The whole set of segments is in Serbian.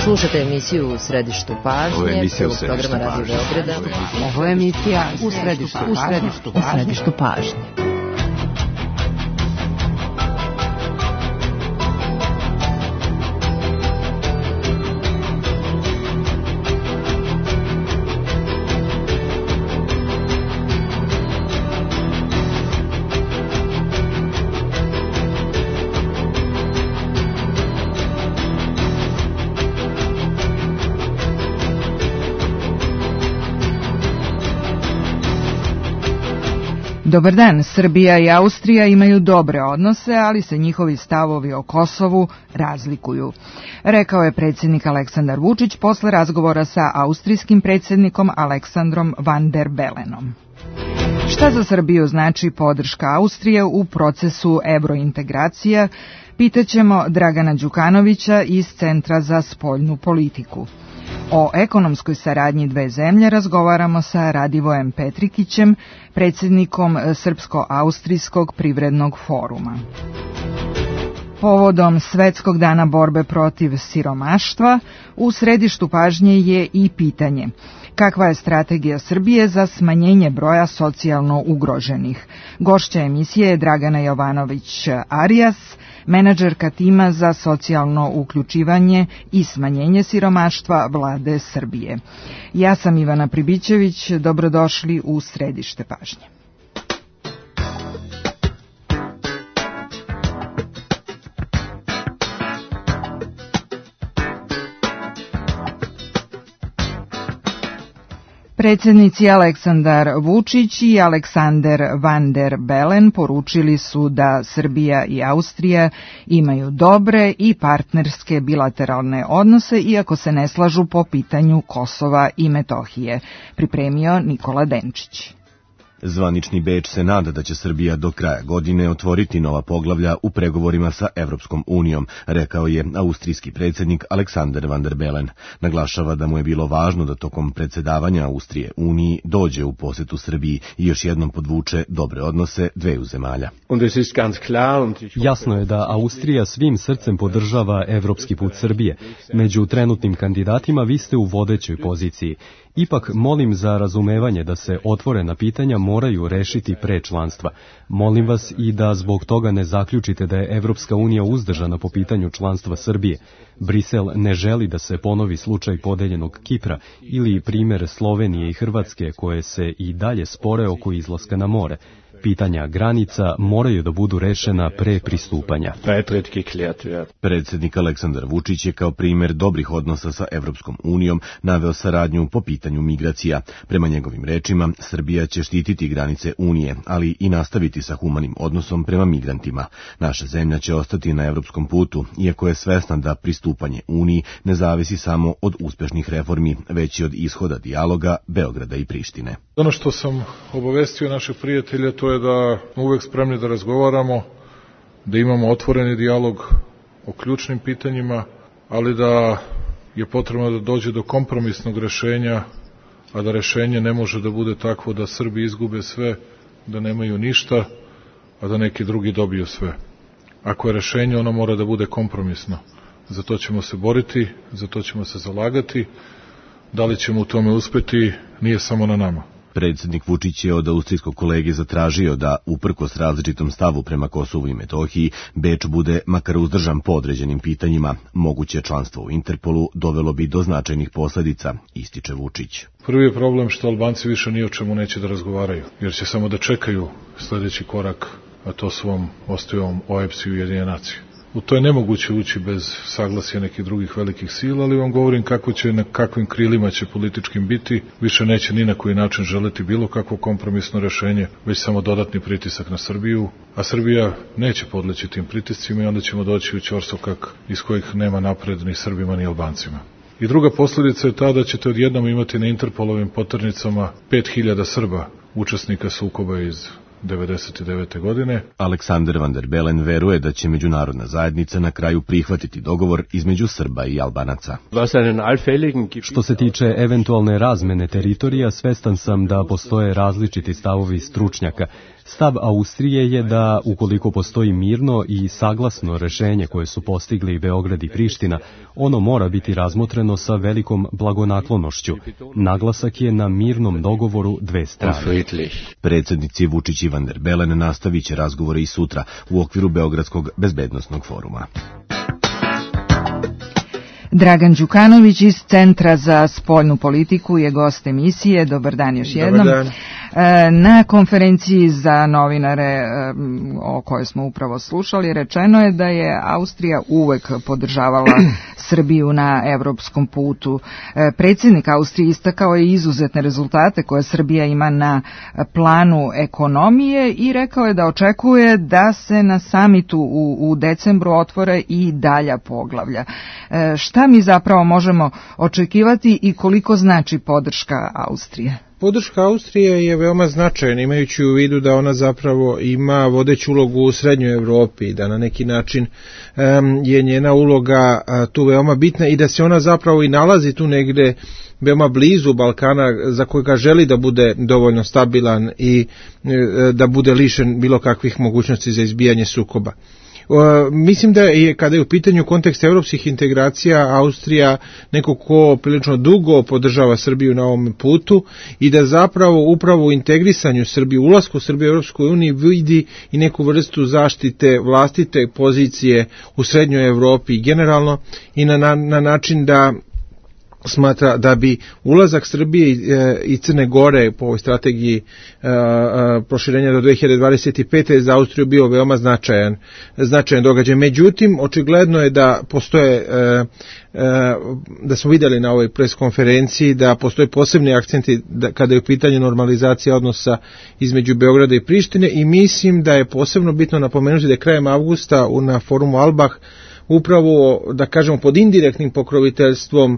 Slušate emisiju U središtu pažnje, prvog programa Radio Beograda. Ovo je emisija U središtu pažnje. Dobar dan, Srbija i Austrija imaju dobre odnose, ali se njihovi stavovi o Kosovu razlikuju. Rekao je predsjednik Aleksandar Vučić posle razgovora sa austrijskim predsjednikom Aleksandrom Van der Belenom. Šta za Srbiju znači podrška Austrije u procesu evrointegracija, pitaćemo Dragana Đukanovića iz Centra za spoljnu politiku. O ekonomskoj saradnji dve zemlje razgovaramo sa Radivojem Petrikićem, predsjednikom Srpsko-austrijskog privrednog foruma. Povodom Svetskog dana borbe protiv siromaštva, u središtu pažnje je i pitanje: kakva je strategija Srbije za smanjenje broja socijalno ugroženih? Gošća emisije je Dragana Jovanović-Arias, menadžerka tima za socijalno uključivanje i smanjenje siromaštva Vlade Srbije. Ja sam Ivana Pribićević, dobrodošli u središte pažnje. Predsjednici Aleksandar Vučić i Aleksander Van der Belen poručili su da Srbija i Austrija imaju dobre i partnerske bilateralne odnose, iako se ne slažu po pitanju Kosova i Metohije, pripremio Nikola Denčić. Zvanični Beč se nada da će Srbija do kraja godine otvoriti nova poglavlja u pregovorima sa Evropskom unijom, rekao je austrijski predsjednik Aleksander Van der Belen. Naglašava da mu je bilo važno da tokom predsjedavanja Austrije Uniji dođe u posjetu Srbiji i još jednom podvuče dobre odnose dveju zemalja. Jasno je da Austrija svim srcem podržava evropski put Srbije. Među trenutnim kandidatima vi ste u vodećoj poziciji. Ipak molim za razumevanje da se otvorena pitanja moraju rešiti pre članstva. Molim vas i da zbog toga ne zaključite da je Evropska unija uzdržana po pitanju članstva Srbije. Brisel ne želi da se ponovi slučaj podeljenog Kipra ili primjer Slovenije i Hrvatske koje se i dalje spore oko izlaska na more. Pitanja granica moraju da budu rešena pre pristupanja. Predsjednik Aleksandar Vučić je kao primjer dobrih odnosa sa Evropskom unijom naveo saradnju po pitanju migracija. Prema njegovim rečima, Srbija će štititi granice Unije, ali i nastaviti sa humanim odnosom prema migrantima. Naša zemlja će ostati na evropskom putu, iako je svesna da pristupanje Uniji ne zavisi samo od uspešnih reformi, već i od ishoda dijaloga Beograda i Prištine. Ono što sam obavestio naših prijatelja, to je da smo uvek spremni da razgovaramo, da imamo otvoreni dijalog o ključnim pitanjima, ali da je potrebno da dođe do kompromisnog rešenja, a da rešenje ne može da bude takvo da Srbi izgube sve, da nemaju ništa, a da neki drugi dobiju sve. Ako je rešenje, ono mora da bude kompromisno. Za to ćemo se boriti, za to ćemo se zalagati. Da li ćemo u tome uspeti, nije samo na nama. Predsjednik Vučić je od austrijskog kolege zatražio da, uprkos različitom stavu prema Kosovu i Metohiji, Beč bude makar uzdržan po određenim pitanjima. Moguće članstvo u Interpolu dovelo bi do značajnih posljedica, ističe Vučić. Prvi je problem što Albanci više ni o čemu neće da razgovaraju, jer će samo da čekaju sljedeći korak, a to svom ostavom OEBS i Ujedinjene nacije. U to je nemoguće ući bez saglasja nekih drugih velikih sila, ali vam govorim kako će, na kakvim krilima će političkim biti, više neće ni na koji način želeti bilo kakvo kompromisno rešenje, već samo dodatni pritisak na Srbiju, a Srbija neće podleći tim pritiscima i onda ćemo doći u ćorsokak iz kojih nema napred ni Srbima ni Albancima. I druga posljedica je ta da ćete odjednom imati na Interpolovim poternicama 5000 Srba, učesnika sukoba iz 1999. godine. Aleksander Van der Belen veruje da će međunarodna zajednica na kraju prihvatiti dogovor između Srba i Albanaca. Što se tiče eventualne razmene teritorija, svestan sam da postoje različiti stavovi stručnjaka. Stav Austrije je da ukoliko postoji mirno i saglasno rešenje koje su postigli Beograd i Priština, ono mora biti razmotreno sa velikom blagonaklonošću. Naglasak je na mirnom dogovoru dve strane. Predsjednici Vučić i Van der Bellen nastavit će razgovore i sutra u okviru Beogradskog bezbednosnog foruma. Dragan Đukanović iz Centra za spoljnu politiku je gost emisije. Dobar dan još jednom. Dobar dan. Na konferenciji za novinare o kojoj smo upravo slušali rečeno je da je Austrija uvek podržavala Srbiju na evropskom putu. Predsjednik Austrije istakao je izuzetne rezultate koje Srbija ima na planu ekonomije i rekao je da očekuje da se na samitu u decembru otvore i dalja poglavlja. Šta mi zapravo možemo očekivati i koliko znači podrška Austrije? Podrška Austrije je veoma značajna, imajući u vidu da ona zapravo ima vodeću ulogu u Srednjoj Evropi, da na neki način je njena uloga tu veoma bitna i da se ona zapravo i nalazi tu negde veoma blizu Balkana za kojega želi da bude dovoljno stabilan i da bude lišen bilo kakvih mogućnosti za izbijanje sukoba. Mislim da je, kada je u pitanju kontekst evropskih integracija, Austrija neko ko prilično dugo podržava Srbiju na ovom putu i da zapravo upravo u integrisanju Srbije, ulasku Srbije u Evropsku uniju vidi i neku vrstu zaštite vlastite pozicije u Srednjoj Evropi generalno i na način da smatra da bi ulazak Srbije i Crne Gore po ovoj strategiji proširenja do 2025. za Austriju bio veoma značajan događaj. Međutim, očigledno je da postoje, da smo vidjeli na ovoj pres konferenciji, da postoje posebni akcenti kada je u pitanju normalizacija odnosa između Beograda i Prištine i mislim da je posebno bitno napomenuti da je krajem avgusta na forumu Albah upravo, da kažemo, pod indirektnim pokroviteljstvom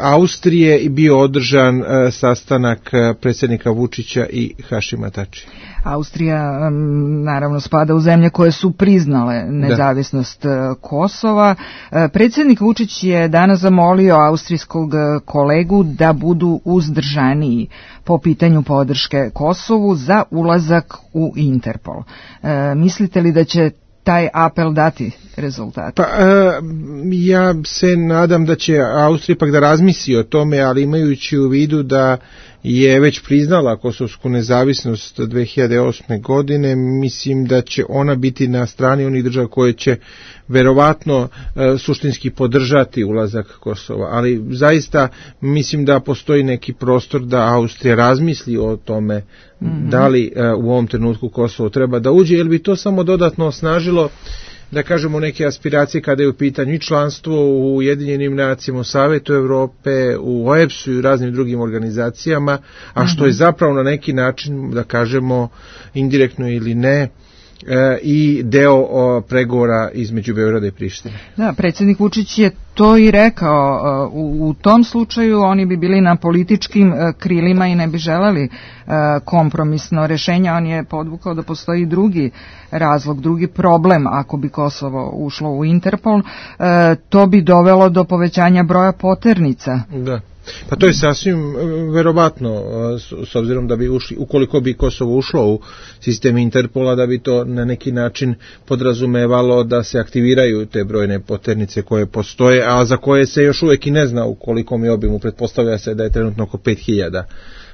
Austrije bio održan sastanak predsjednika Vučića i Hašima Tačija. Austrija naravno spada u zemlje koje su priznale nezavisnost Kosova. Predsjednik Vučić je danas zamolio austrijskog kolegu da budu uzdržaniji po pitanju podrške Kosovu za ulazak u Interpol. Mislite li da će taj apel dati rezultat? Pa, ja se nadam da će Austrija ipak da razmisli o tome, ali imajući u vidu da je već priznala kosovsku nezavisnost 2008. godine, mislim da će ona biti na strani onih država koje će verovatno suštinski podržati ulazak Kosova, ali zaista mislim da postoji neki prostor da Austrija razmisli o tome da li u ovom trenutku Kosovo treba da uđe, jer bi to samo dodatno osnažilo, da kažemo, neke aspiracije kada je u pitanju i članstvo u Ujedinjenim nacijama, u Savetu Evrope, u OEBS-u i raznim drugim organizacijama, a što je zapravo na neki način, da kažemo, indirektno ili ne, i deo pregovora između Beograda i Prištine. Da, predsjednik Vučić je to i rekao. U tom slučaju oni bi bili na političkim krilima i ne bi želeli kompromisno rešenje. On je podvukao da postoji drugi razlog, drugi problem ako bi Kosovo ušlo u Interpol. To bi dovelo do povećanja broja poternica. Da. Pa to je sasvim verovatno, s obzirom da bi ušli, ukoliko bi Kosovo ušlo u sistem Interpola, da bi to na neki način podrazumevalo da se aktiviraju te brojne poternice koje postoje, a za koje se još uvijek i ne zna u kolikom je obimu. Pretpostavlja se da je trenutno oko 5000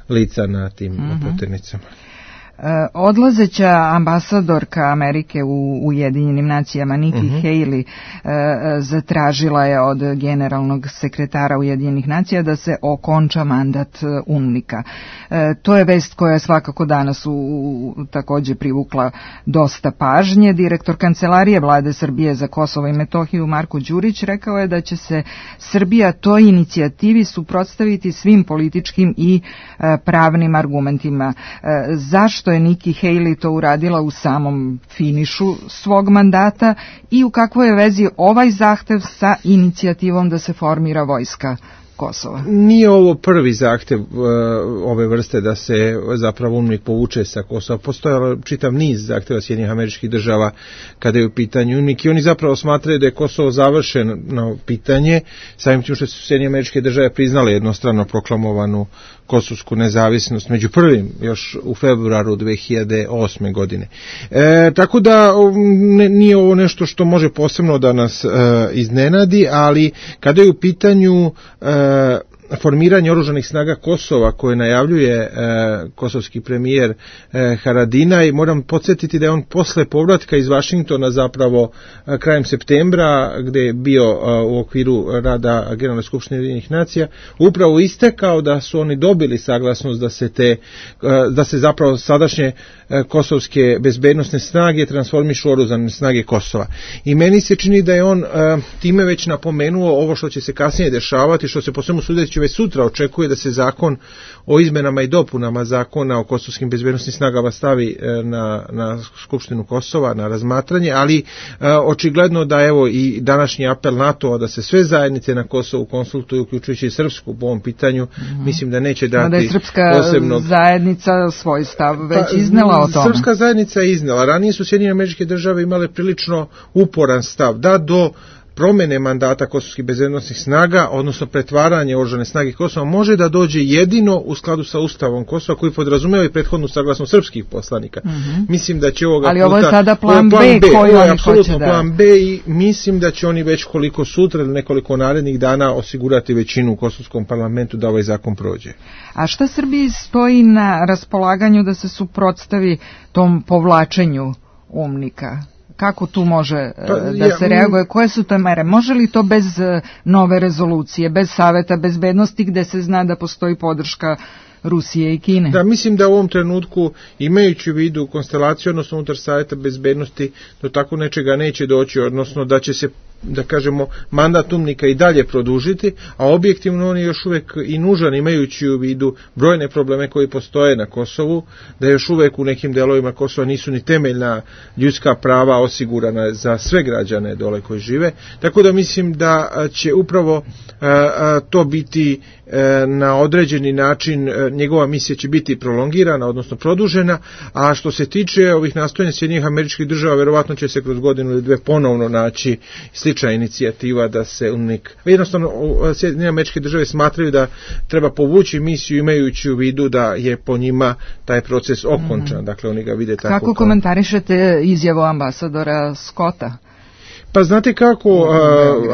lica na tim poternicama. Odlazeća ambasadorka Amerike u Ujedinjenim nacijama Nikki Haley zatražila je od generalnog sekretara Ujedinjenih nacija da se okonča mandat UNMIK-a. To je vest koja je svakako danas također privukla dosta pažnje. Direktor Kancelarije Vlade Srbije za Kosovo i Metohiju Marko Đurić rekao je da će se Srbija toj inicijativi suprotstaviti svim političkim i pravnim argumentima. Zašto je Nikki Haley to uradila u samom finišu svog mandata i u kakvoj je vezi ovaj zahtev sa inicijativom da se formira vojska Kosova? Nije ovo prvi zahtev ove vrste da se zapravo UNMIK povuče sa Kosova. Postojalo čitav niz zahteva Sjedinjenih Američkih Država kada je u pitanju UNMIK i oni zapravo smatraju da je Kosovo završeno pitanje, samim tim što su Sjedinjene Američke Države priznale jednostrano proklamovanu kosovsku nezavisnost, među prvim još u februaru 2008. godine. Tako da nije ovo nešto što može posebno da nas iznenadi, ali kada je u pitanju formiranje oružanih snaga Kosova koje najavljuje kosovski premijer Haradinaj, moram podsjetiti da je on posle povratka iz Vašingtona zapravo krajem septembra, gde je bio u okviru rada Generalne skupštine Ujedinjenih nacija, upravo istekao da su oni dobili saglasnost da se zapravo sadašnje kosovske bezbednosne snage transformišu u oružane snage Kosova. I meni se čini da je on time već napomenuo ovo što će se kasnije dešavati, što se po svemu sudeći već sutra očekuje da se zakon o izmenama i dopunama zakona o kosovskim bezbednosnim snagama stavi na Skupštinu Kosova na razmatranje, ali očigledno da evo i današnji apel NATO-a da se sve zajednice na Kosovu konsultuju, uključujući i srpsku po ovom pitanju, mislim da neće dati posebnog... Da je srpska zajednica svoj stav već iznela o tome. Srpska zajednica je iznela. Ranije su Sjedinjene Američke Države imale prilično uporan stav da do promene mandata kosovskih bezbednosnih snaga, odnosno pretvaranje oružane snage Kosova, može da dođe jedino u skladu sa Ustavom Kosova, koji podrazumeva i prethodnu saglasnost srpskih poslanika. Mislim da će ovoga ali puta... ovo je sada plan B koji oni hoće da... plan B i mislim da će oni već koliko sutra ili nekoliko narednih dana osigurati većinu u kosovskom parlamentu da ovaj zakon prođe. A šta Srbiji stoji na raspolaganju da se suprotstavi tom povlačenju UMNIK-a? Kako tu može da se reaguje? Koje su to mere? Može li to bez nove rezolucije, bez Saveta bezbednosti gde se zna da postoji podrška Rusije i Kine? Da, mislim da u ovom trenutku, imajući u vidu konstelaciju, odnosno unutar Saveta bezbednosti, do tako nečega neće doći, odnosno da će se, da kažemo, mandat UMNIK-a i dalje produžiti, a objektivno on je još uvek i nužan, imajući u vidu brojne probleme koji postoje na Kosovu, da još uvek u nekim delovima Kosova nisu ni temeljna ljudska prava osigurana za sve građane dole koji žive, tako da mislim da će upravo to biti na određeni način, njegova misija će biti prolongirana, odnosno produžena, a što se tiče ovih nastojanja Sjedinjenih Američkih Država, verovatno će se kroz godinu ili dve ponovno naći slična inicijativa da se UNIK, jednostavno Sjedinjene Američke Države smatraju da treba povući misiju imajući u vidu da je po njima taj proces okončan, dakle oni ga vide tako. Kako komentarišete izjavu ambasadora Scotta? Pa znate kako,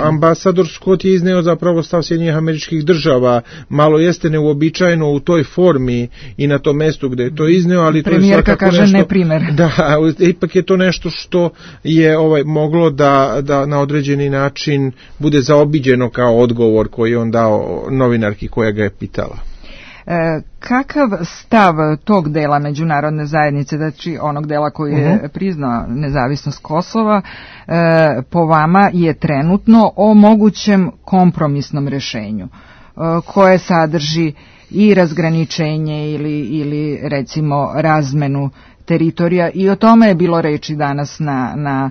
ambasador Scott je izneo zapravo stav Sjedinjenih Američkih Država, malo jeste neuobičajeno u toj formi i na tom mestu gde je to izneo, ali to je svakako kaže nešto... neprimer. Da, ipak je to nešto što je moglo da na određeni način bude zaobiđeno kao odgovor koji je on dao novinarki koja ga je pitala. Kakav stav tog dela međunarodne zajednice, znači onog dela koji je priznao nezavisnost Kosova, po vama je trenutno o mogućem kompromisnom rešenju koje sadrži i razgraničenje ili recimo razmenu teritorija, i o tome je bilo reči danas na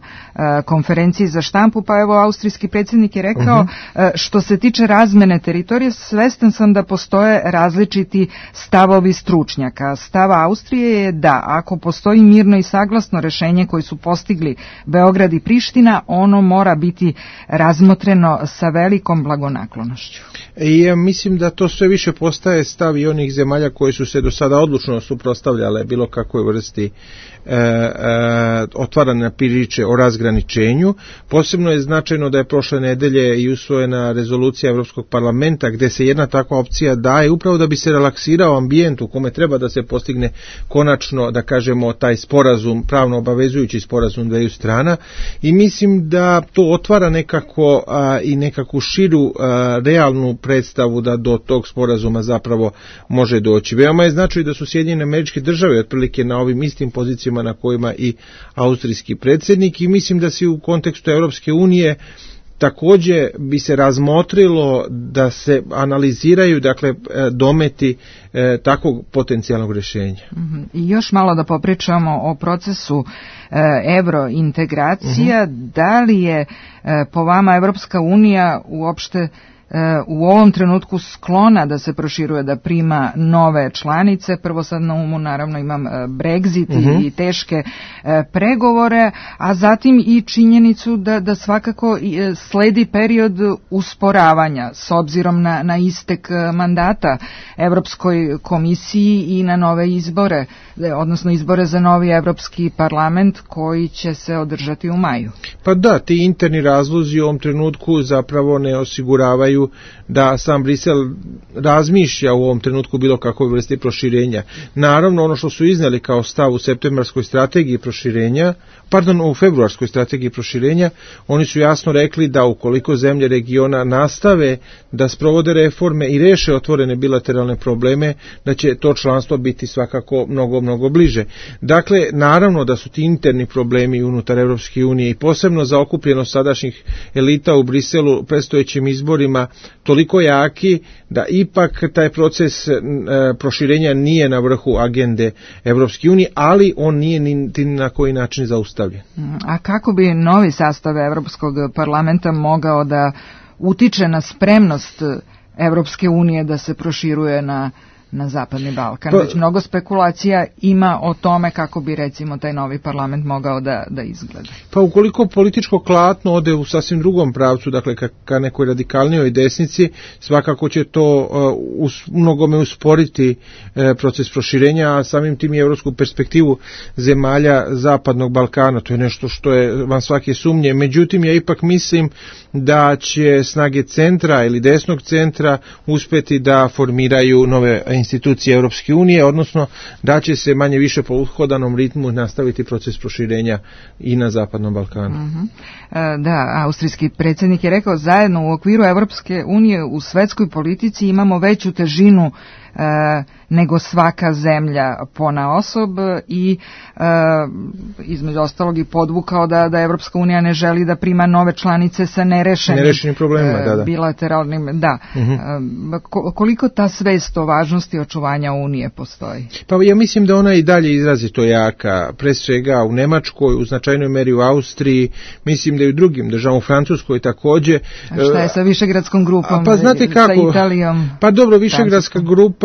konferenciji za štampu, pa evo austrijski predsjednik je rekao što se tiče razmene teritorije, svestan sam da postoje različiti stavovi stručnjaka. Stav Austrije je da ako postoji mirno i saglasno rešenje koje su postigli Beograd i Priština, ono mora biti razmotreno sa velikom blagonaklonošću. I mislim da to sve više postaje stav i onih zemalja koje su se do sada odlučno suprotstavljale bilo kakvoj vrsti otvarane priče o razgraničenju. Posebno je značajno da je prošle nedelje i usvojena rezolucija Evropskog parlamenta gde se jedna takva opcija daje upravo da bi se relaksirao ambijent u kome treba da se postigne konačno, da kažemo, taj sporazum, pravno obavezujući sporazum dveju strana, i mislim da to otvara nekako i nekakvu širu realnu predstavu da do tog sporazuma zapravo može doći. Veoma je značajno da su Sjedinjene Američke Države otprilike na ovim istim pozicijama na kojima i austrijski predsjednik, i mislim da se u kontekstu Europske unije takođe bi se razmotrilo da se analiziraju, dakle, dometi takvog potencijalnog rješenja. I još malo da popričamo o procesu evrointegracija. Da li je po vama Evropska unija uopšte u ovom trenutku sklona da se proširuje, da prima nove članice. Prvo sad na umu naravno imam Brexit i teške pregovore, a zatim i činjenicu da svakako sledi period usporavanja s obzirom na istek mandata Evropskoj komisiji i na nove izbore, odnosno izbore za novi Evropski parlament koji će se održati u maju. Pa da, ti interni razlozi u ovom trenutku zapravo ne osiguravaju da sam Brisel razmišlja u ovom trenutku bilo kakve vrste proširenja. Naravno, ono što su iznali kao stav u septembarskoj strategiji proširenja, u februarskoj strategiji proširenja, oni su jasno rekli da ukoliko zemlje regiona nastave da sprovode reforme i reše otvorene bilateralne probleme, da će to članstvo biti svakako mnogo bliže. Dakle, naravno da su ti interni problemi unutar Evropske unije i posebno za okupljenost sadašnjih elita u Briselu predstojećim izborima toliko jaki da ipak taj proces proširenja nije na vrhu agende Evropske unije, ali on nije ni na koji način zaustavljen. A kako bi novi sastav Evropskog parlamenta mogao da utiče na spremnost Evropske unije da se proširuje na Zapadni Balkan? Već mnogo spekulacija ima o tome kako bi recimo taj novi parlament mogao da izgleda. Pa ukoliko političko klatno ode u sasvim drugom pravcu, dakle ka nekoj radikalnijoj desnici, svakako će to mnogome usporiti proces proširenja, a samim tim i evropsku perspektivu zemalja Zapadnog Balkana. To je nešto što je van svake sumnje. Međutim, ja ipak mislim da će snage centra ili desnog centra uspeti da formiraju nove institucije Europske unije, odnosno da će se manje više po uhodanom ritmu nastaviti proces proširenja i na Zapadnom Balkanu. Da, austrijski predsjednik je rekao, zajedno u okviru Europske unije u svetskoj politici imamo veću težinu nego svaka zemlja ponaosob i između ostalog i podvukao da Evropska unija ne želi da prima nove članice sa nerešenim problemima, bilateralnim, koliko ta svest o važnosti očuvanja unije postoji? Pa ja mislim da ona i dalje izrazito jaka, pre svega u Nemačkoj, u značajnoj meri u Austriji, mislim da i u drugim državama, u Francuskoj takođe. A šta je sa Višegradskom grupom, pa znate kako, sa Italijom? Pa dobro, Višegradska grupa,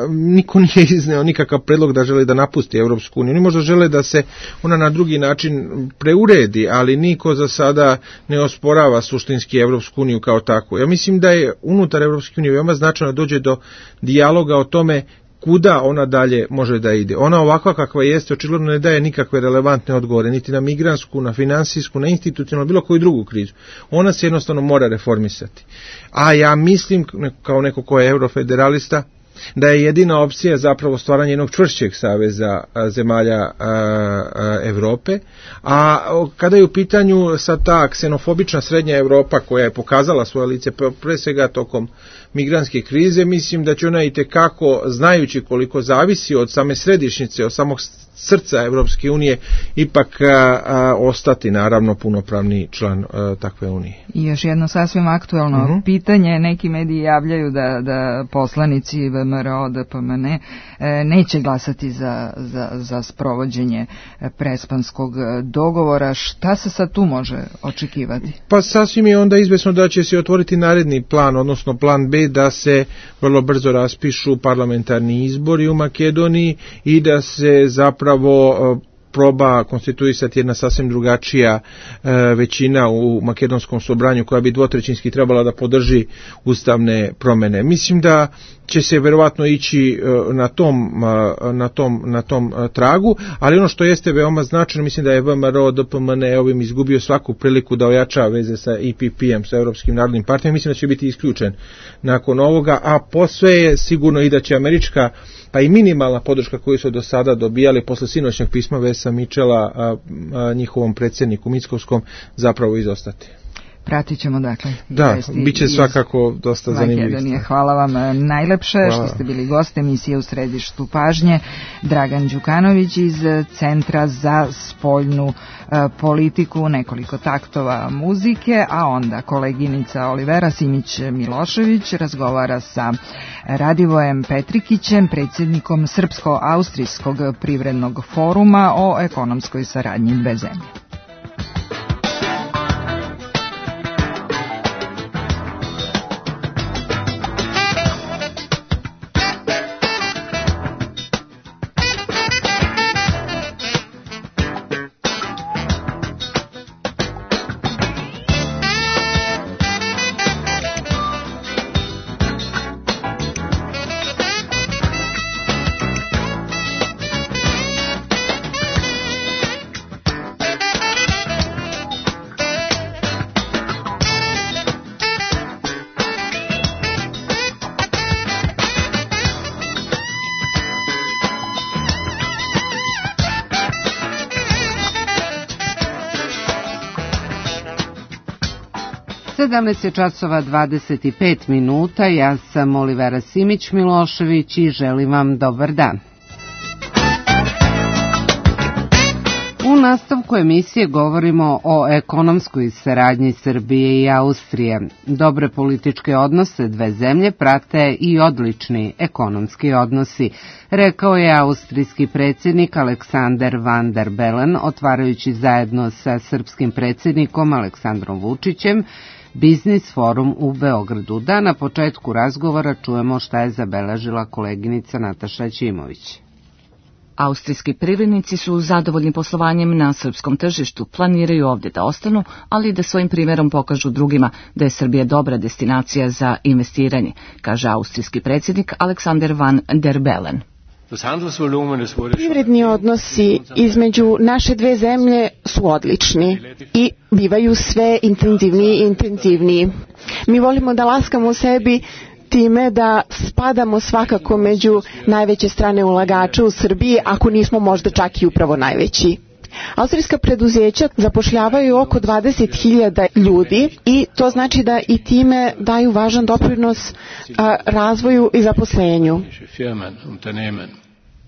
niko nije izneo nikakav predlog da žele da napusti Evropsku uniju. Oni možda žele da se ona na drugi način preuredi, ali niko za sada ne osporava suštinski Evropsku uniju kao takvu. Ja mislim da je unutar Evropske unije veoma značajno dođe do dijaloga o tome kuda ona dalje može da ide. Ona ovakva kakva jeste očigledno ne daje nikakve relevantne odgovore, niti na migrantsku, na finansijsku, na institucionalnu, bilo koju drugu krizu. Ona se jednostavno mora reformisati. A ja mislim, kao neko ko je eurofederalista, da je jedina opcija zapravo stvaranje jednog čvršćeg saveza zemalja Evrope, a kada je u pitanju sad ta ksenofobična srednja Evropa koja je pokazala svoje lice pre svega tokom migrantske krize, mislim da će ona i tekako, znajući koliko zavisi od same središnjice, od samog srca Evropske unije, ipak ostati naravno punopravni član takve unije. I još jedno sasvim aktuelno pitanje, neki mediji javljaju da poslanici VMRO, DPMN neće glasati za sprovođenje Prespanskog dogovora. Šta se sad tu može očekivati? Pa sasvim je onda izvesno da će se otvoriti naredni plan, odnosno plan B, da se vrlo brzo raspišu parlamentarni izbori u Makedoniji i da se zapravo proba konstituisati jedna sasvim drugačija većina u makedonskom sobranju koja bi dvotrećinski trebala da podrži ustavne promene. Mislim da će se verovatno ići na tom tragu, ali ono što jeste veoma značajno, mislim da je VMRO DPMN ovim izgubio svaku priliku da ojača veze sa EPP-em, sa Europskim narodnim partijom. Mislim da će biti isključen nakon ovoga, a posve je sigurno i da će američka pa i minimalna podrška koju su do sada dobijali posle sinoćnog pisma Vesa Michela njihovom predsjedniku Mickovskom zapravo izostati. Pratit ćemo dakle. Da, bit će svakako dosta zanimljivo. Hvala vam najlepše što ste bili gost emisije U središtu pažnje. Dragan Đukanović iz Centra za spoljnu politiku, nekoliko taktova muzike, a onda koleginica Olivera Simić-Milošević razgovara sa Radivojem Petrikićem, predsjednikom Srpsko-Austrijskog privrednog foruma o ekonomskoj saradnji dve zemlje. 17:25. Ja sam Olivera Simić-Milošević i želim vam dobar dan. U nastavku emisije govorimo o ekonomskoj saradnji Srbije i Austrije. Dobre političke odnose dve zemlje prate i odlični ekonomski odnosi, rekao je austrijski predsjednik Aleksander Van der Bellen, otvarajući zajedno sa srpskim predsjednikom Aleksandrom Vučićem Biznis forum u Beogradu. Da na početku razgovora čujemo šta je zabeležila koleginica Nataša Ćimović. Austrijski privrednici su zadovoljni poslovanjem na srpskom tržištu, planiraju ovdje da ostanu, ali i da svojim primjerom pokažu drugima da je Srbija dobra destinacija za investiranje, kaže austrijski predsjednik Aleksander Van der Bellen. Privredni odnosi između naše dve zemlje su odlični i bivaju sve intenzivniji i intenzivniji. Mi volimo da laskamo sebi time da spadamo svakako među najveće strane ulagača u Srbiji, ako nismo možda čak i upravo najveći. Austrijska preduzeća zapošljavaju oko 20.000 ljudi i to znači da i time daju važan doprinos razvoju i zaposlenju.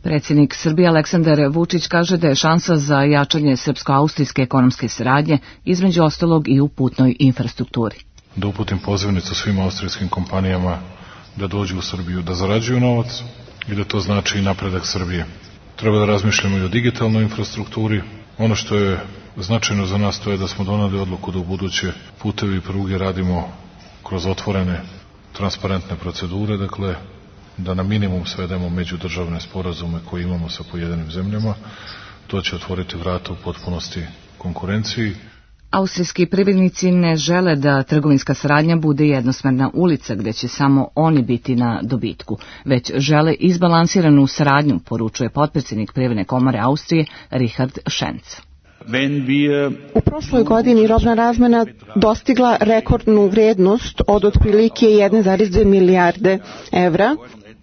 Predsjednik Srbije Aleksandar Vučić kaže da je šansa za jačanje srpsko-austrijske ekonomske saradnje između ostalog i u putnoj infrastrukturi. Da uputim pozivnicu svim austrijskim kompanijama da dođu u Srbiju, da zarađuju novac i da to znači i napredak Srbije. Treba da razmišljamo i o digitalnoj infrastrukturi. Ono što je značajno za nas to je da smo donali odluku da u buduće putevi i pruge radimo kroz otvorene, transparentne procedure, dakle da na minimum svedemo međudržavne sporazume koje imamo sa pojedinim zemljama. To će otvoriti vrata u potpunosti konkurenciji. Austrijski privrednici ne žele da trgovinska saradnja bude jednosmerna ulica gdje će samo oni biti na dobitku, već žele izbalansiranu saradnju, poručuje potpredsjednik Privredne komore Austrije Richard Schenz. U prošloj godini robna razmena dostigla rekordnu vrijednost od otprilike 1,2 milijarde evra,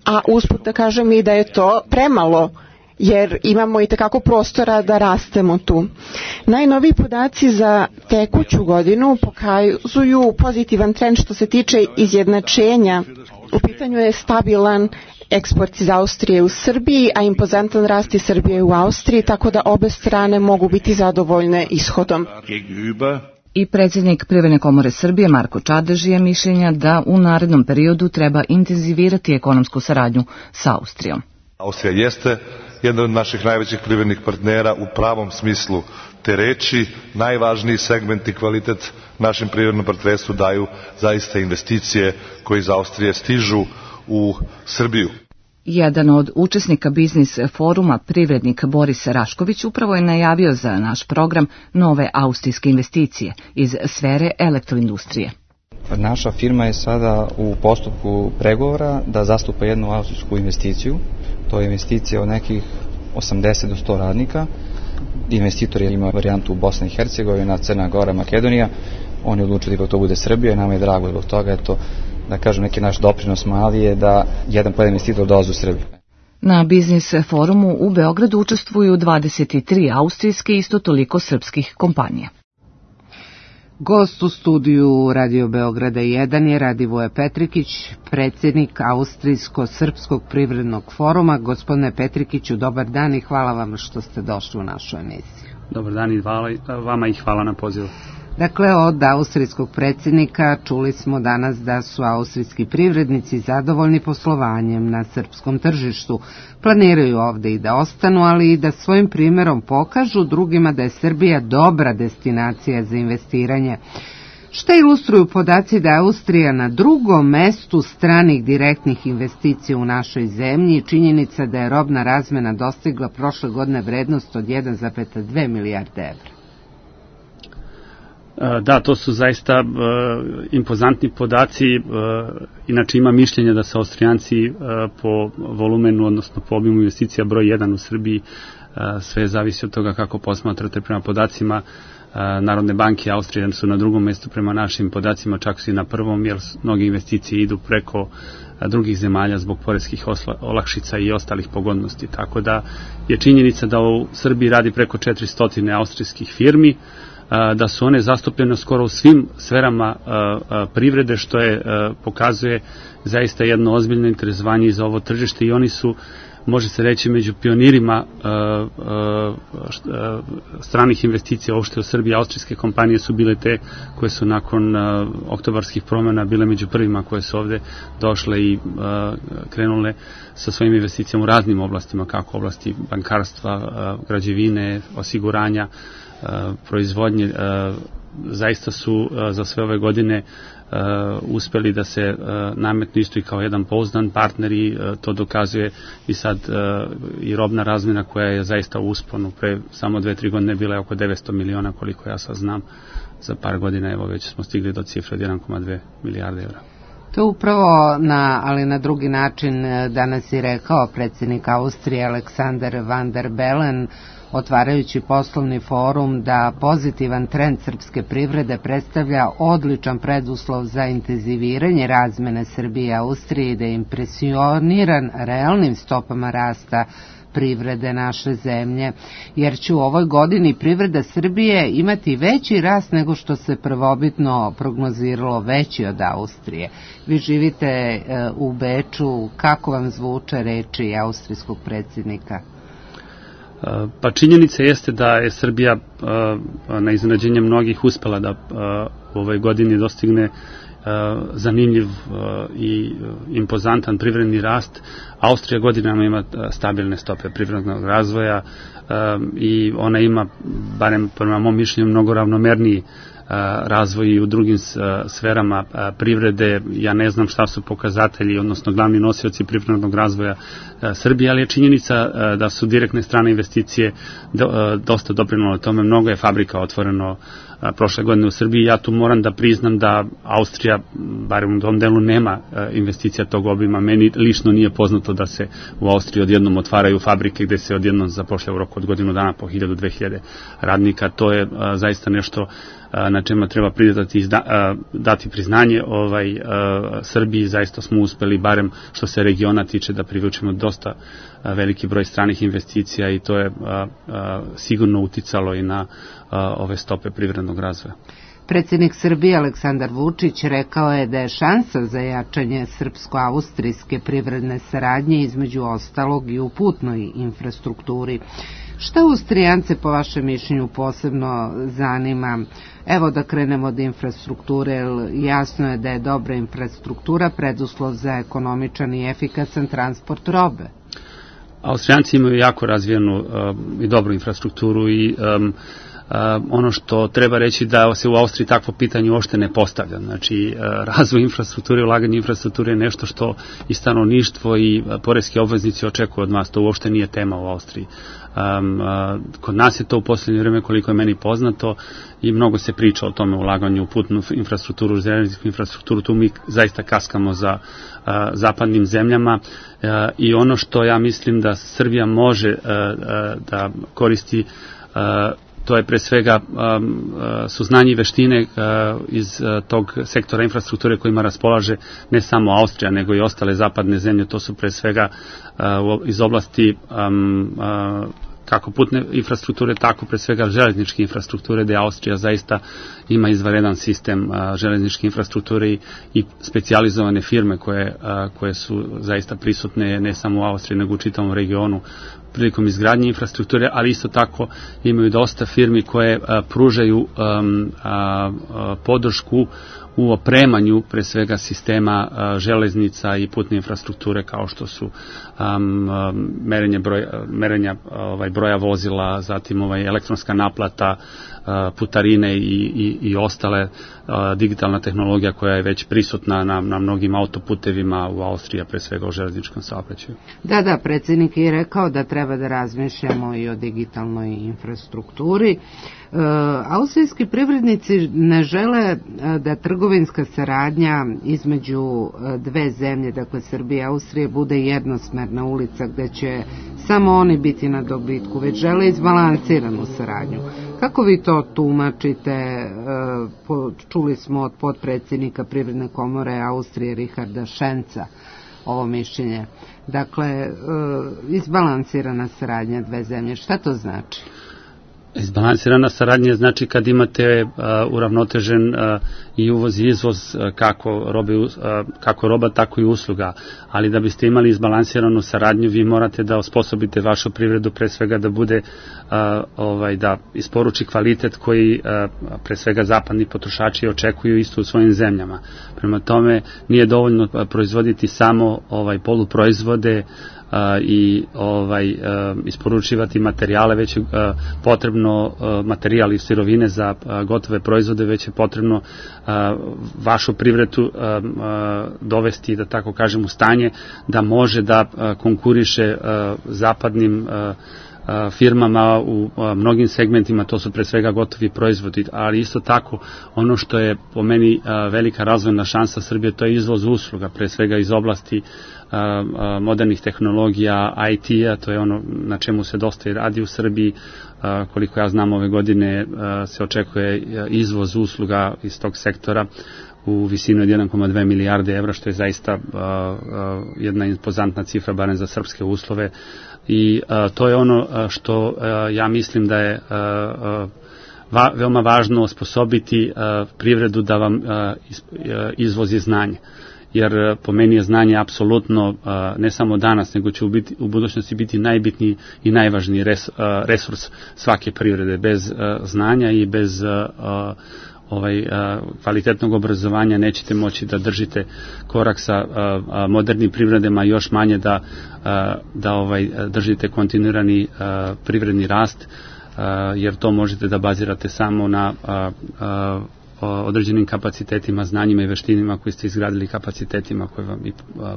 a usput da kažem i da je to premalo, jer imamo i tekako prostora da rastemo tu. Najnoviji podaci za tekuću godinu pokazuju pozitivan trend što se tiče izjednačenja. U pitanju je stabilan eksport iz Austrije u Srbiji, a impozantan rast iz Srbije u Austriji, tako da obe strane mogu biti zadovoljne ishodom. I predsjednik Privredne komore Srbije Marko Čadež je mišljenja da u narednom periodu treba intenzivirati ekonomsku saradnju sa Austrijom. Austrija jeste jedan od naših najvećih privrednih partnera u pravom smislu te reči. Najvažniji segment i kvalitet našem privrednom partnerstvu daju zaista investicije koje iz Austrije stižu u Srbiju. Jedan od učesnika biznis foruma, privrednik Boris Rašković, upravo je najavio za naš program nove austrijske investicije iz sfere elektroindustrije. Naša firma je sada u postupku pregovora da zastupa jednu austrijsku investiciju. To je investicija od nekih 80 do 100 radnika. Investitor ima varijantu Bosna i Hercegovina, Crna Gora, Makedonija. Oni odlučili da to bude Srbija i nama je drago zbog toga. Eto, da kažem, neki naš doprinos mali je da jedan po investitor dolazi u Srbiju. Na biznis forumu u Beogradu učestvuju 23 austrijske i isto toliko srpskih kompanija. Gost u studiju Radio Beograda 1 je Radivoje Petrikić, predsjednik Austrijsko-srpskog privrednog foruma. Gospodine Petrikiću, dobar dan i hvala vam što ste došli u našu emisiju. Dobar dan i vama i hvala na pozivu. Dakle, od austrijskog predsjednika čuli smo danas da su austrijski privrednici zadovoljni poslovanjem na srpskom tržištu. Planiraju ovdje i da ostanu, ali i da svojim primjerom pokažu drugima da je Srbija dobra destinacija za investiranje. Što ilustruju podaci da je Austrija na drugom mestu stranih direktnih investicija u našoj zemlji i činjenica da je robna razmena dostigla prošle godine vrednost od 1,2 milijarde evra. Da, to su zaista impozantni podaci, inače ima mišljenja da su Austrijanci po volumenu, odnosno po obimu investicija broj 1 u Srbiji, sve zavisi od toga kako posmatrate prema podacima Narodne banke Austrije su na drugom mjestu prema našim podacima, čak su i na prvom, jer mnoge investicije idu preko drugih zemalja zbog poreskih olakšica i ostalih pogodnosti. Tako da je činjenica da u Srbiji radi preko 400 austrijskih firmi, da su one zastupljene skoro u svim sferama privrede, što pokazuje zaista jedno ozbiljno interesovanje za ovo tržište i oni su, može se reći, među pionirima stranih investicija uopšte u Srbiji. Austrijske kompanije su bile te koje su nakon oktobarskih promjena bile među prvima koje su ovde došle i krenule sa svojim investicijama u raznim oblastima, kako oblasti bankarstva, građevine, osiguranja, proizvodnje. Zaista su za sve ove godine uspeli da se nametnu isto i kao jedan pouzdan partner i to dokazuje i sad i robna razmjena koja je zaista u usponu. Pre samo 2-3 godine bila je oko 900 miliona, koliko ja sad znam. Za par godina evo već smo stigli do cifre od 1,2 milijarde evra. To upravo ali na drugi način danas je rekao predsjednik Austrije Alexander Van der Bellen, otvarajući poslovni forum, da pozitivan trend srpske privrede predstavlja odličan preduslov za intenziviranje razmene Srbije i Austrije i da je impresioniran realnim stopama rasta privrede naše zemlje, jer će u ovoj godini privreda Srbije imati veći rast nego što se prvobitno prognoziralo, veći od Austrije. Vi živite u Beču, kako vam zvuče reči austrijskog predsjednika? Pa činjenica jeste da je Srbija na iznenađenje mnogih uspela da u ovoj godini dostigne zanimljiv i impozantan privredni rast. Austrija godinama ima stabilne stope privrednog razvoja i ona ima, barem prema mom mišljenju, mnogo ravnomerniji razvoj i u drugim sferama privrede. Ja ne znam šta su pokazatelji, odnosno glavni nosioci privrednog razvoja Srbije, ali je činjenica da su direktne strane investicije dosta doprinule tome. Mnogo je fabrika otvoreno prošle godine u Srbiji. Ja tu moram da priznam da Austrija, barem u tom delu, nema investicija tog obima. Meni lično nije poznato da se u Austriji odjednom otvaraju fabrike gde se odjednom zapošlja u roku od godinu dana po 1000-2000 radnika. To je zaista nešto na čemu treba dati priznanje Srbiji. Zaista smo uspeli, barem što se regiona tiče, da privučemo dosta veliki broj stranih investicija i to je sigurno uticalo i na ove stope privrednog razvoja. Predsjednik Srbije Aleksandar Vučić rekao je da je šansa za jačanje srpsko-austrijske privredne saradnje između ostalog i u putnoj infrastrukturi. Šta Austrijance po vašem mišljenju posebno zanima? Evo da krenemo od infrastrukture. Jasno je da je dobra infrastruktura preduslov za ekonomičan i efikasan transport robe. Austrijanci imaju jako razvijenu i dobru infrastrukturu i ono što treba reći da se u Austriji takvo pitanje uopšte ne postavlja. Znači, razvoj infrastrukture, ulaganje infrastrukture je nešto što i stanovništvo i poreski obveznici očekuju od nas. To uopšte nije tema u Austriji. Kod nas je to u posljednje vreme, koliko je meni poznato, i mnogo se priča o tome ulaganju u putnu infrastrukturu, u železničku infrastrukturu. Tu mi zaista kaskamo za zapadnim zemljama i ono što ja mislim da Srbija može da koristi, to je pre svega su znanje i veštine iz tog sektora infrastrukture kojima raspolaže ne samo Austrija, nego i ostale zapadne zemlje. To su pre svega iz oblasti kako putne infrastrukture, tako pre svega železničke infrastrukture, gde Austrija zaista ima izvanredan sistem železničke infrastrukture i specijalizovane firme koje su zaista prisutne ne samo u Austriji, nego u čitavom regionu prilikom izgradnje infrastrukture, ali isto tako imaju dosta firmi koje pružaju podršku u opremanju pre svega sistema železnica i putne infrastrukture, kao što su merenja broja vozila, zatim elektronska naplata, putarine i ostale, digitalna tehnologija koja je već prisutna na mnogim autoputevima u Austriji, pre svega u železničkom saobraćaju. Da, predsjednik je rekao da treba da razmišljamo i o digitalnoj infrastrukturi. Austrijski privrednici ne žele da trgovinska saradnja između dve zemlje, dakle Srbije i Austrije, bude jednosmerna ulica gde će samo oni biti na dobitku, već žele izbalansiranu saradnju. Kako vi to tumačite? Čuli smo od potpredsjednika Privredne komore Austrije Richarda Schenza ovo mišljenje. Dakle, izbalansirana saradnja dve zemlje. Šta to znači? Izbalansirana saradnja znači kad imate uravnotežen i uvoz i izvoz kako roba, tako i usluga, ali da biste imali izbalansiranu saradnju vi morate da osposobite vašu privredu pre svega da bude da isporuči kvalitet koji pre svega zapadni potrošači očekuju isto u svojim zemljama. Prema tome nije dovoljno proizvoditi samo poluproizvode i isporučivati materijale, već je potrebno materijal i sirovine za gotove proizvode, već je potrebno vašu privredu dovesti, da tako kažem, u stanje da može da konkuriše zapadnim firmama u mnogim segmentima, to su pre svega gotovi proizvodi, ali isto tako ono što je po meni velika razvojna šansa Srbije, to je izvoz usluga, pre svega iz oblasti modernih tehnologija, IT-a, to je ono na čemu se dosta i radi u Srbiji. Koliko ja znam, ove godine se očekuje izvoz usluga iz tog sektora u visini od 1,2 milijarde evra, što je zaista jedna impozantna cifra, barem za srpske uslove. I to je ono što ja mislim da je veoma važno osposobiti privredu da vam izvozi znanje. Jer po meni je znanje apsolutno, ne samo danas, nego će u budućnosti biti najbitniji i najvažniji resurs svake privrede. Bez znanja i bez kvalitetnog obrazovanja nećete moći da držite korak sa modernim privredama, još manje da držite kontinuirani privredni rast, jer to možete da bazirate samo na određenim kapacitetima, znanjima i veštinima koji ste izgradili, kapacitetima koje vam i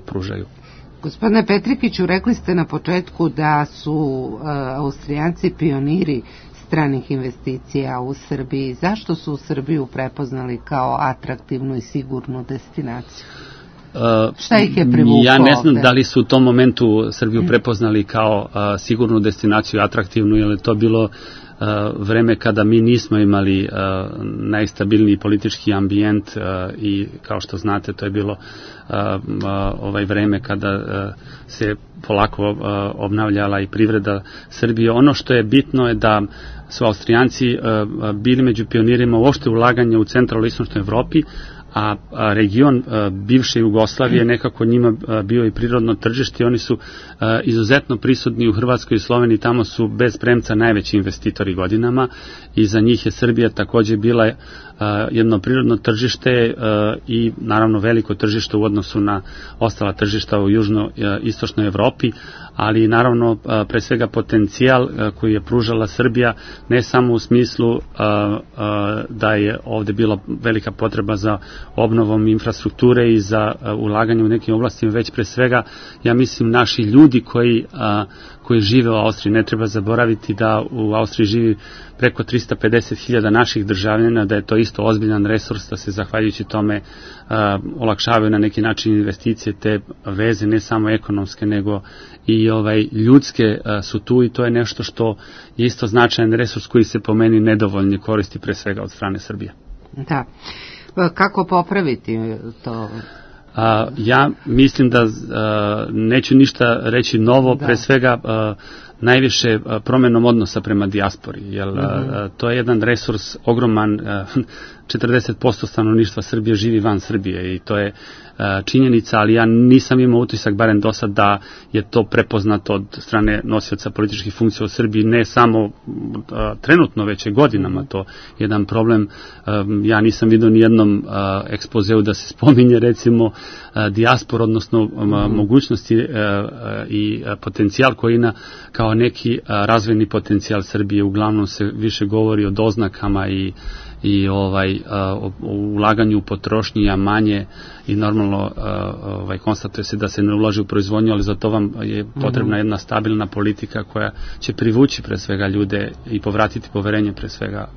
pružaju. Gospodine Petrikiću, rekli ste na početku da su Austrijanci pioniri stranih investicija u Srbiji. Zašto su Srbiju prepoznali kao atraktivnu i sigurnu destinaciju? Šta ih je privuklo? Ja ne znam da li su u tom momentu Srbiju prepoznali kao sigurnu destinaciju, atraktivnu, jer je to bilo vreme kada mi nismo imali najstabilniji politički ambijent i kao što znate to je bilo vreme kada se polako obnavljala i privreda Srbije. Ono što je bitno je da su Austrijanci bili među pionirima uopšte ulaganja u centralnoj i istočnoj Evropi, a region bivše Jugoslavije nekako njima bio i prirodno tržište. Oni su izuzetno prisutni u Hrvatskoj i Sloveniji, tamo su bez premca najveći investitori godinama i za njih je Srbija takođe bila jedno prirodno tržište i naravno veliko tržište u odnosu na ostala tržišta u južno-istočnoj Evropi, ali naravno pre svega potencijal koji je pružala Srbija, ne samo u smislu da je ovde bila velika potreba za obnovom infrastrukture i za ulaganje u nekim oblastima, već pre svega, ja mislim, naši ljudi koji žive u Austriji. Ne treba zaboraviti da u Austriji živi preko 350.000 naših državljana, da je to isto ozbiljan resurs, da se zahvaljujući tome olakšavaju na neki način investicije, te veze, ne samo ekonomske, nego i ljudske su tu i to je nešto što je isto značajan resurs koji se po meni nedovoljno koristi pre svega od strane Srbije. Da. Kako popraviti to? Ja mislim da neću ništa reći novo, pre svega najviše promenom odnosa prema dijaspori, jer to je jedan resurs ogroman. 40% stanovništva Srbije živi van Srbije i to je činjenica, ali ja nisam imao utisak, barem do sad, da je to prepoznato od strane nosioca političkih funkcija u Srbiji, ne samo trenutno, već je godinama to jedan problem. Ja nisam vidio ni jednom ekspozeu da se spominje recimo dijaspor, odnosno mogućnosti i potencijal koji ima kao neki razvojni potencijal Srbije. Uglavnom se više govori o doznakama i o ulaganju u potrošnji, a manje i normalno konstatuje se da se ne ulaže u proizvodnju, ali za to vam je potrebna jedna stabilna politika koja će privući pre svega ljude i povratiti poverenje pre svega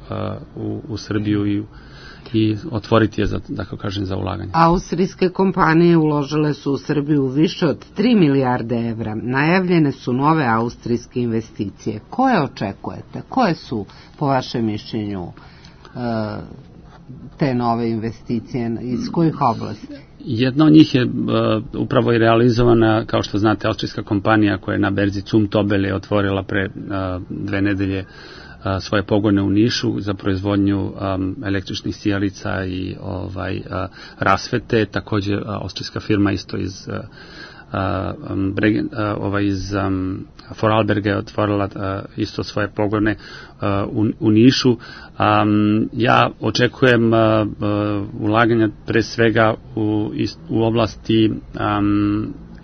u Srbiju i otvoriti je za ulaganje. Austrijske kompanije uložile su u Srbiju više od 3 milijarde evra. Najavljene su nove austrijske investicije. Koje očekujete? Koje su, po vašem mišljenju, te nove investicije, iz kojih oblasti? Jedna od njih je upravo i realizovana, kao što znate, austrijska kompanija koja je na berzi Zum Tobel je otvorila pre 2 nedelje svoje pogone u Nišu za proizvodnju električnih sijalica i rasvete. Također austrijska firma isto iz Vorarlberga je otvorila isto svoje pogone u Nišu. Ja očekujem ulaganja pre svega u oblasti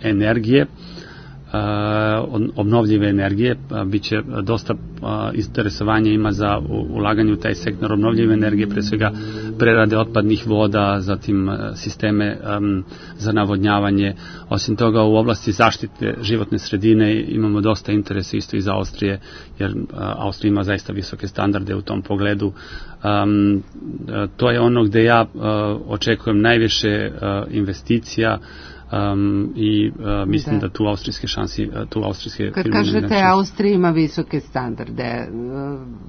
energije, obnovljive energije. Biće dosta interesovanja ima za ulaganje u taj sektor obnovljive energije, pre svega prerade otpadnih voda, zatim sisteme za navodnjavanje. Osim toga, u oblasti zaštite životne sredine imamo dosta interesa isto iz Austrije, jer Austrija ima zaista visoke standarde u tom pogledu. To je ono gde ja očekujem najviše investicija i mislim da tu austrijske šansi, tu austrijske firme. Kad kažete Austrija ima visoke standarde,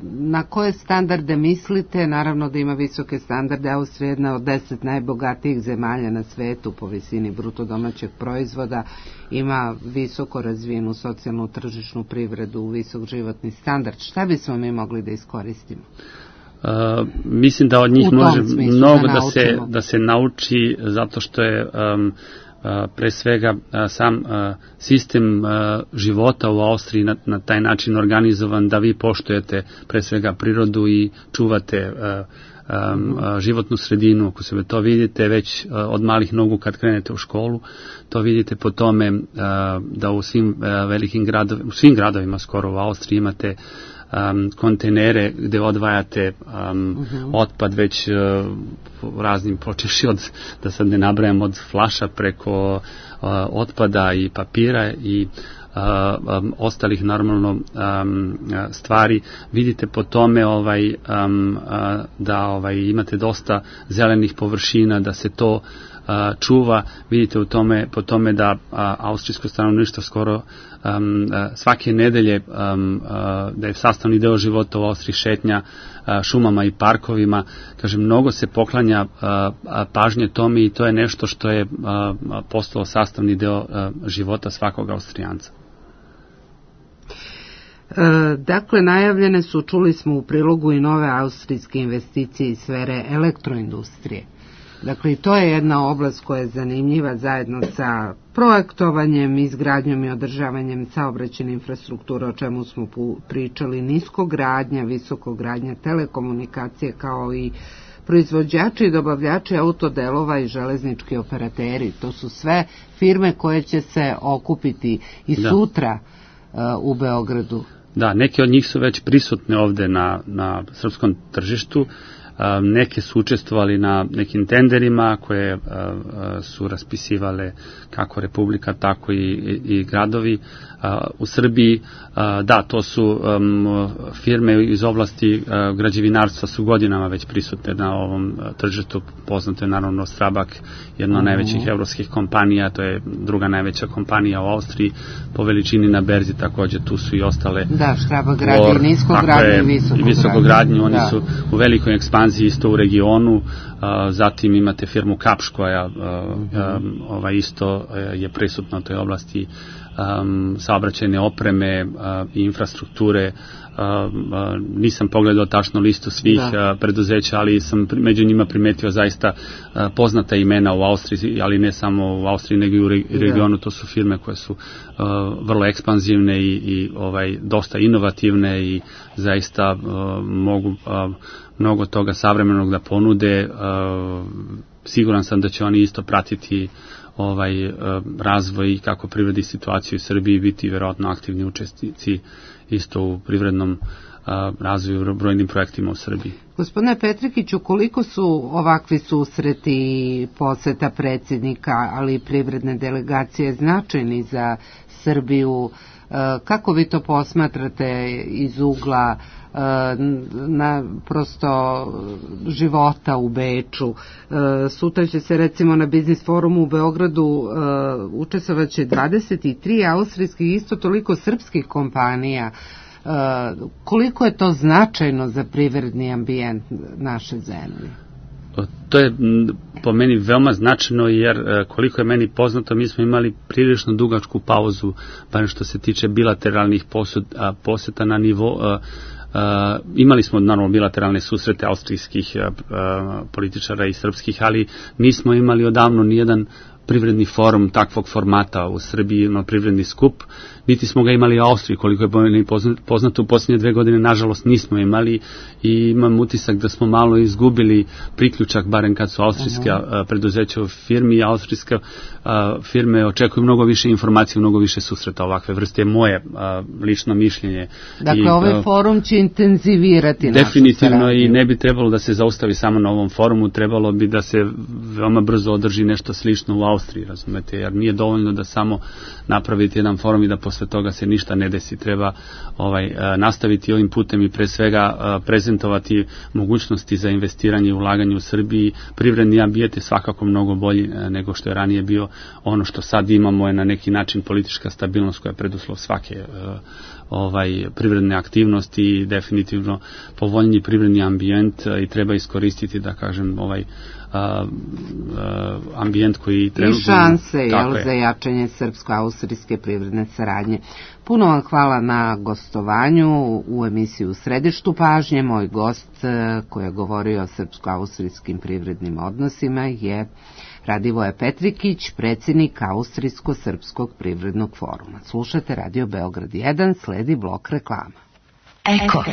na koje standarde mislite? Naravno da ima visoke standarde. Austrija je jedna od 10 najbogatijih zemalja na svetu po visini bruto domaćeg proizvoda, ima visoko razvijenu socijalnu tržišnu privredu, visok životni standard. Šta bismo mi mogli da iskoristimo? Mislim da od njih može mnogo da se nauči, zato što je pre svega sam sistem života u Austriji na taj način organizovan da vi poštujete pre svega prirodu i čuvate životnu sredinu. Ako sebe to vidite već od malih nogu kad krenete u školu, to vidite po tome da u svim velikim gradovima, u svim gradovima skoro u Austriji imate kontejnere gde odvajate otpad već raznim, počeši od, da sad ne nabrajam, od flaša preko otpada i papira i ostalih normalno stvari. Vidite po tome da imate dosta zelenih površina, da se to čuva. Vidite po tome da austrijsko stanovništvo skoro svake nedelje da je sastavni deo života u Austriji šetnja šumama i parkovima. Kažem, mnogo se poklanja pažnje tome i to je nešto što je postalo sastavni deo života svakog Austrijanca. Dakle, najavljene su, čuli smo u prilogu, i nove austrijske investicije iz sfere elektroindustrije. Dakle, i to je jedna oblast koja je zanimljiva zajedno sa projektovanjem, izgradnjom i održavanjem saobraćajne infrastrukture, o čemu smo pričali, niskogradnja, visokogradnja, telekomunikacije, kao i proizvođači i dobavljači autodelova i železnički operateri. To su sve firme koje će se okupiti i sutra u Beogradu. Da, neke od njih su već prisutne ovde na srpskom tržištu. Neke su učestvovali na nekim tenderima koje su raspisivale kako Republika, tako i gradovi u Srbiji. Da, to su firme iz oblasti građevinarstva, su godinama već prisutne na ovom tržištu. Poznato je naravno Strabag, jedna od najvećih evropskih kompanija, to je druga najveća kompanija u Austriji po veličini na berzi, također tu su i ostale. Da, Strabag radi niskogradnju i visokogradnju. Oni su u velikoj ekspanziji isto u regionu. Zatim imate firmu Kapš koja isto je prisutna u toj oblasti saobraćajne opreme i infrastrukture. Nisam pogledao tačno listu svih preduzeća, ali sam među njima primetio zaista poznata imena u Austriji, ali ne samo u Austriji, nego i u regionu. To su firme koje su vrlo ekspanzivne i dosta inovativne i zaista mogu mnogo toga savremenog da ponude. Siguran sam da će oni isto pratiti razvoj i kako privredi situaciju u Srbiji, biti vjerojatno aktivni učesnici isto u privrednom razvoju, brojnim projektima u Srbiji. Gospodine Petrikiću, koliko su ovakvi susreti, poseta predsjednika, ali i privredne delegacije značajni za Srbiju? Kako vi to posmatrate iz ugla na prosto života u Beču? Sutra će se recimo na biznis forumu u Beogradu učestvovaće 23 austrijskih, isto toliko srpskih kompanija. Koliko je to značajno za privredni ambijent naše zemlje? To je po meni veoma značajno, jer koliko je meni poznato, mi smo imali prilično dugačku pauzu, barem što se tiče bilateralnih poseta na nivo. Imali smo naravno bilateralne susrete austrijskih političara i srpskih, ali nismo imali odavno nijedan privredni forum takvog formata u Srbiji, privredni skup, niti smo ga imali u Austriji, koliko je poznato u posljednje 2 godine, nažalost nismo imali, i imam utisak da smo malo izgubili priključak, barem kad su austrijska preduzeća u firmi, austrijske firme očekuju mnogo više informacija, mnogo više susreta ovakve vrste, je moje lično mišljenje. Dakle, ovaj forum će intenzivirati našu definitivno saradnju. I ne bi trebalo da se zaustavi samo na ovom forumu, trebalo bi da se veoma brzo održi nešto slično u Austriji, razumete, jer nije dovoljno da samo napraviti jedan forum i da posle toga se ništa ne desi. Treba nastaviti ovim putem i pre svega prezentovati mogućnosti za investiranje i ulaganje u Srbiji. Privredni ambijent je svakako mnogo bolji nego što je ranije bio. Ono što sad imamo je na neki način politička stabilnost koja je preduslov svake privredne aktivnosti i definitivno povoljniji privredni ambijent, i treba iskoristiti, da kažem, ambijent koji trenutno... I šanse za jačanje srpsko-austrijske privredne saradnje. Puno vam hvala na gostovanju u emisiji U središtu pažnje. Moj gost koji je govorio o srpsko-austrijskim privrednim odnosima je Radivoje Petrikić, predsjednik Austrijsko-srpskog privrednog foruma. Slušate Radio Beograd 1, sledi blok reklama. Eko.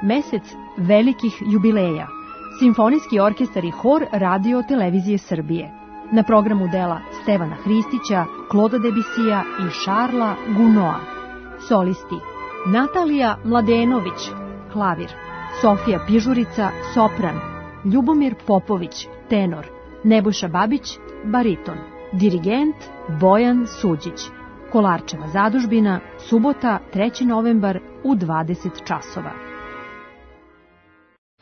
Mesec velikih jubileja. Simfonijski orkestar i hor Radio Televizije Srbije. Na programu dela Stevana Hristića, Kloda Debisija i Šarla Gunoa. Solisti: Natalija Mladenović, klavir; Sofija Pižurica, sopran; Ljubomir Popović, tenor; Nebojša Babić, bariton; dirigent Bojan Suđić. Kolarčeva zadužbina, subota 3. novembar u 20 časova.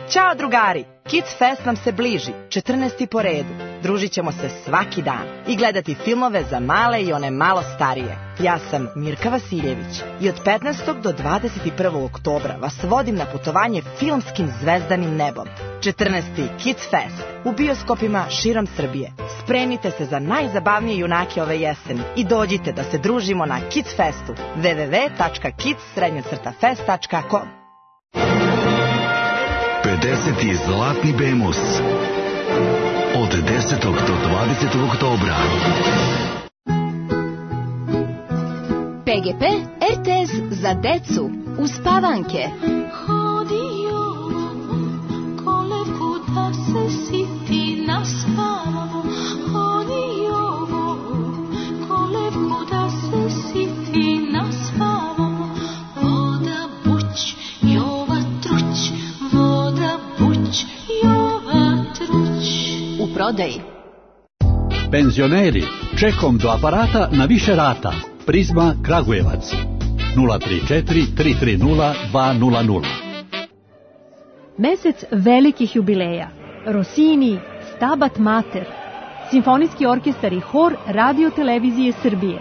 Ćao drugari, Kids Fest nam se bliži, 14. po redu. Družit ćemo se svaki dan i gledati filmove za male i one malo starije. Ja sam Mirka Vasiljević i od 15. do 21. oktobra vas vodim na putovanje filmskim zvezdanim nebom. 14. Kids Fest u bioskopima širom Srbije. Spremite se za najzabavnije junake ove jeseni i dođite da se družimo na Kids Festu. www.kids-fest.com 50. Zlatni Bemus od 10. do 20. oktobra. PGP RTS za decu uz Pavanke. Hodio kolevku da se siti na spavu. Hodio kolevku da se siti na spavu. Voda buć, Jova truć. Voda buć, Jova truć. U prodaji. Penzioneri, čekom do aparata na više rata. Prizma Kragujevac 034 330 200. Mesec velikih jubileja. Rossini, Stabat Mater. Simfonijski orkestar i hor Radio Televizije Srbije.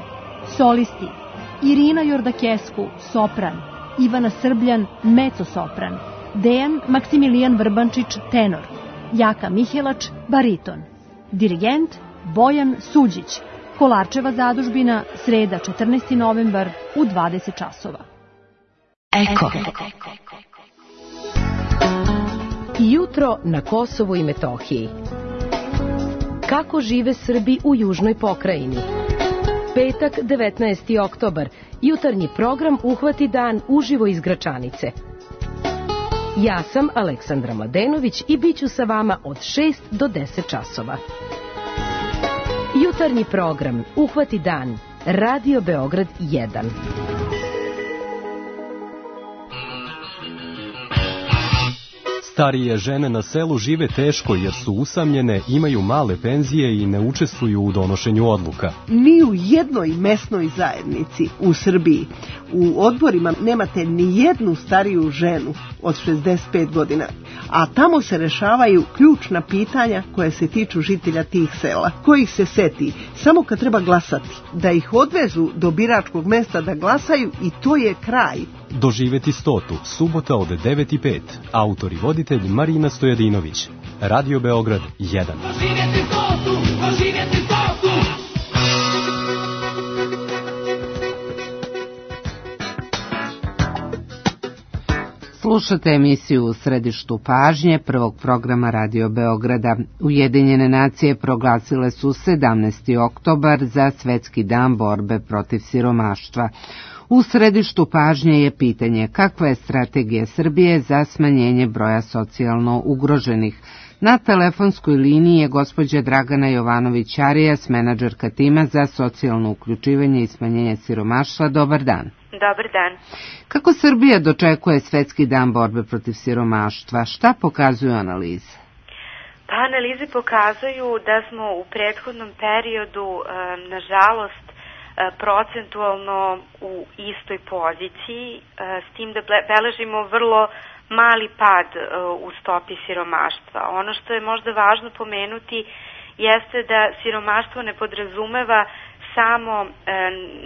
Solisti: Irina Jordakesku, sopran; Ivana Srbljan, mezzo-sopran; Dejan Maksimilijan Vrbančić, tenor; Jaka Mihelač, bariton; dirigent Bojan Suđić. Kolarčeva zadužbina, sreda 14. novembar u 20 časova. Eko. Jutro na Kosovu i Metohiji. Kako žive Srbi u južnoj pokrajini? Petak, 19. oktobar. Jutarnji program Uhvati dan uživo iz Gračanice. Ja sam Aleksandra Mladenović i bit ću sa vama od 6 do 10 časova. Jutarnji program Uhvati dan, Radio Beograd 1. Starije žene na selu žive teško jer su usamljene, imaju male penzije i ne učestvuju u donošenju odluka. Ni u jednoj mesnoj zajednici u Srbiji u odborima nemate ni jednu stariju ženu od 65 godina, a tamo se rešavaju ključna pitanja koja se tiču žitelja tih sela, kojih se seti samo kad treba glasati, da ih odvezu do biračkog mesta da glasaju i to je kraj. Doživeti 100. Subota od 9:05. Autor i voditelj Marina Stojadinović. Radio Beograd 1. Doživjeti 100. Doživjeti 100. Slušate emisiju U središtu pažnje prvog programa Radio Beograda. Ujedinjene nacije proglasile su 17. oktobar za Svetski dan borbe protiv siromaštva. U središtu pažnje je pitanje kakva je strategija Srbije za smanjenje broja socijalno ugroženih. Na telefonskoj liniji je gospođa Dragana Jovanović-Arijas, menadžerka tima za socijalno uključivanje i smanjenje siromaštva. Dobar dan. Dobar dan. Kako Srbija dočekuje Svetski dan borbe protiv siromaštva? Šta pokazuju analize? Pa analize pokazuju da smo u prethodnom periodu, nažalost, procentualno u istoj poziciji, s tim da beležimo vrlo mali pad u stopi siromaštva. Ono što je možda važno pomenuti jeste da siromaštvo ne podrazumeva samo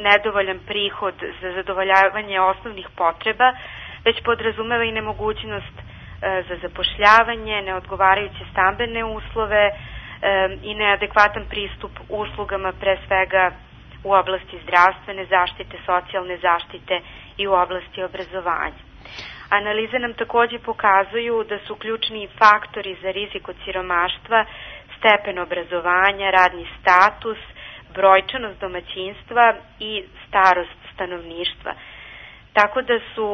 nedovoljan prihod za zadovoljavanje osnovnih potreba, već podrazumeva i nemogućnost za zapošljavanje, neodgovarajuće stambene uslove i neadekvatan pristup uslugama, pre svega u oblasti zdravstvene zaštite, socijalne zaštite i u oblasti obrazovanja. Analize nam takođe pokazuju da su ključni faktori za rizik od siromaštva stepen obrazovanja, radni status, brojčanost domaćinstva i starost stanovništva. Tako da su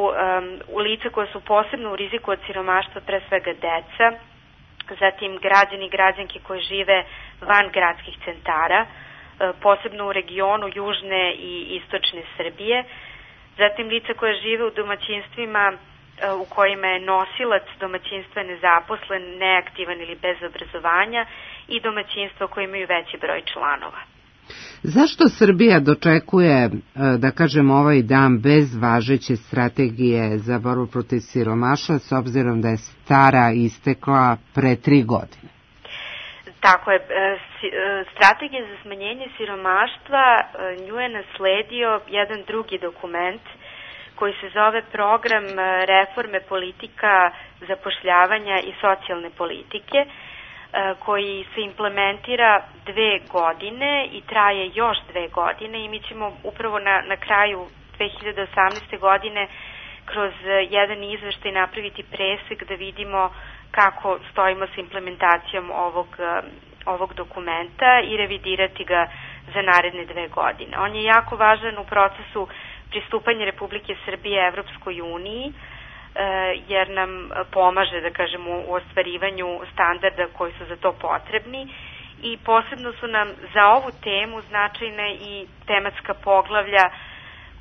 lica koja su posebno u riziku od siromaštva pre svega deca, zatim građani i građanke koji žive van gradskih centara, posebno u regionu južne i istočne Srbije, zatim lica koja žive u domaćinstvima u kojima je nosilac domaćinstva nezaposlen, neaktivan ili bez obrazovanja i domaćinstva koji imaju veći broj članova. Zašto Srbija dočekuje, da kažem, ovaj dan bez važeće strategije za borbu protiv siromaštva, s obzirom da je stara istekla pre 3 godine? Tako je, strategija za smanjenje siromaštva, nju je nasledio jedan drugi dokument koji se zove Program reforme politika zapošljavanja i socijalne politike, koji se implementira 2 godine i traje još 2 godine i mi ćemo upravo na kraju 2018. godine kroz jedan izveštaj napraviti presek da vidimo kako stojimo s implementacijom ovog dokumenta i revidirati ga za naredne 2 godine. On je jako važan u procesu pristupanja Republike Srbije Evropskoj uniji, jer nam pomaže, da kažemo, u ostvarivanju standarda koji su za to potrebni i posebno su nam za ovu temu značajne i tematska poglavlja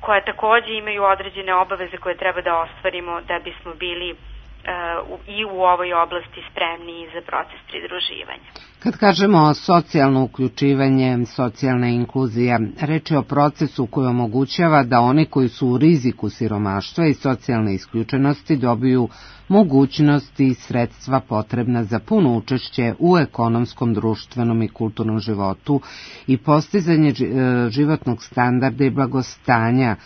koja takođe imaju određene obaveze koje treba da ostvarimo da bismo bili i u ovoj oblasti spremni za proces pridruživanja. Kad kažemo socijalno uključivanje, socijalna inkluzija, reč je o procesu koji omogućava da oni koji su u riziku siromaštva i socijalne isključenosti dobiju mogućnosti i sredstva potrebna za puno učešće u ekonomskom, društvenom i kulturnom životu i postizanje životnog standarda i blagostanja,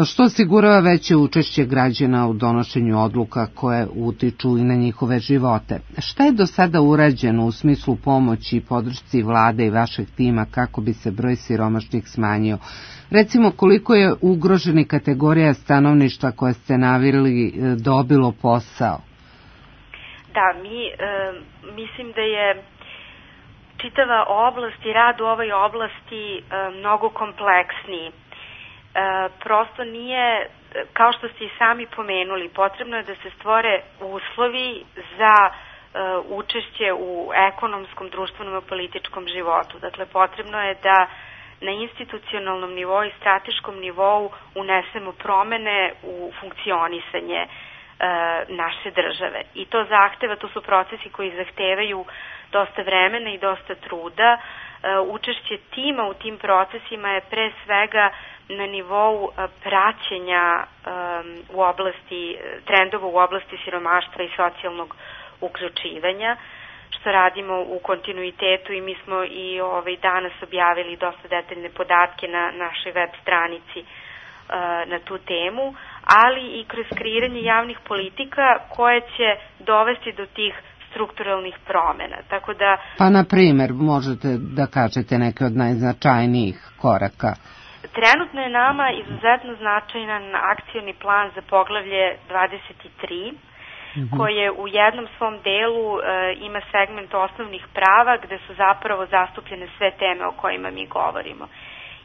što osigurava veće učešće građana u donošenju odluka koje utiču i na njihove živote. Šta je do sada urađeno u smislu pomoći i podršci vlade i vašeg tima kako bi se broj siromašnih smanjio? Recimo, koliko je ugroženi kategorija stanovništva koje ste naveli dobilo posao? Da, mislim da je čitava oblast i rad u ovoj oblasti mnogo kompleksniji. Prosto nije, kao što ste i sami pomenuli, potrebno je da se stvore uslovi za učešće u ekonomskom, društvenom i političkom životu. Dakle, potrebno je da na institucionalnom nivou i strateškom nivou unesemo promene u funkcionisanje naše države. I to zahteva, to su procesi koji zahtevaju dosta vremena i dosta truda. Učešće tima u tim procesima je pre svega na nivou praćenja u oblasti trendova u oblasti siromaštva i socijalnog uključivanja, što radimo u kontinuitetu i mi smo i danas objavili dosta detaljne podatke na našoj web stranici na tu temu, ali i kroz kreiranje javnih politika koje će dovesti do tih strukturalnih promena. Tako da... Pa, na primjer, možete da kažete neke od najznačajnijih koraka? Trenutno je nama izuzetno značajan akcioni plan za poglavlje 23, koje u jednom svom delu ima segment osnovnih prava gde su zapravo zastupljene sve teme o kojima mi govorimo.